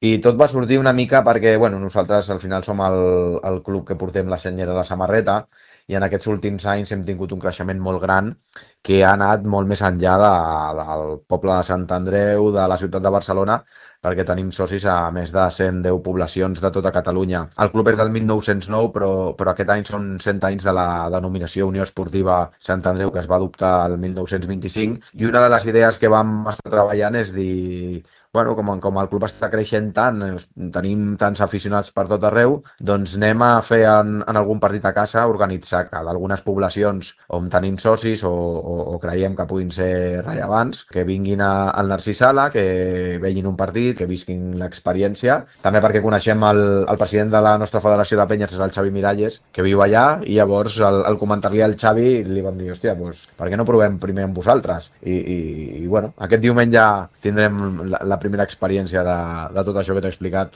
I tot va sortir una mica perquè, bueno, nosaltres al final som el club que portem la senyera a la samarreta i en aquests últims anys hem tingut un creixement molt gran que ha anat molt més enllà del poble de Sant Andreu, de la ciutat de Barcelona, perquè tenim socis a més de 110 poblacions de tota Catalunya. El club és del 1909, però aquest any són 100 anys de la denominació Unió Esportiva Sant Andreu, que es va adoptar el 1925, i una de les idees que vam estar treballant és dir, bueno, com el club està creixent tant, tenim tants aficionats per tot arreu, doncs anem a fer en algun partit a casa, organitzar que d'algunes poblacions on tenim socis o creiem que puguin ser rellevants, que vinguin al Narcís Sala, que vegin un partit, que visquin l'experiència. També perquè coneixem el president de la nostra federació de penyes, és el Xavi Miralles, que viu allà, i llavors al comentar-li al Xavi li vam dir, hòstia, doncs, per què no provem primer amb vosaltres? I bueno, aquest diumenge tindrem la primera experiència de tot això que t'he explicat.